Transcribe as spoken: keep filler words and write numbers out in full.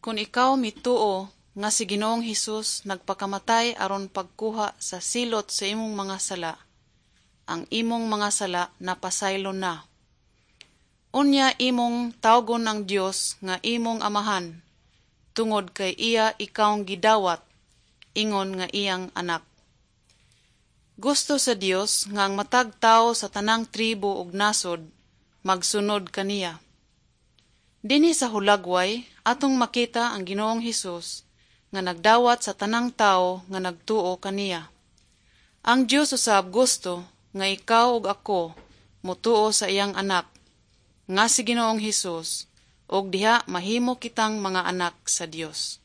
Kung ikaw mituo nga si Ginoong Hesus nagpakamatay aron pagkuha sa silot sa imong mga sala, ang imong mga sala napasaylo na. Unya imong tawgon ang Dios nga imong amahan, tungod kay iya ikawng gidawat, ingon nga iyang anak. Gusto sa Dios nga ang matag tawo sa tanang tribo ug nasod magsunod kaniya. Dinhi sa hulagway atong makita ang Ginoong Hesus nga nagdawat sa tanang tawo nga nagtuo kaniya. Ang Dios usab gusto nga ikaw ug ako motuo sa iyang anak nga si Ginoong Hesus ug diha mahimo kitang mga anak sa Dios.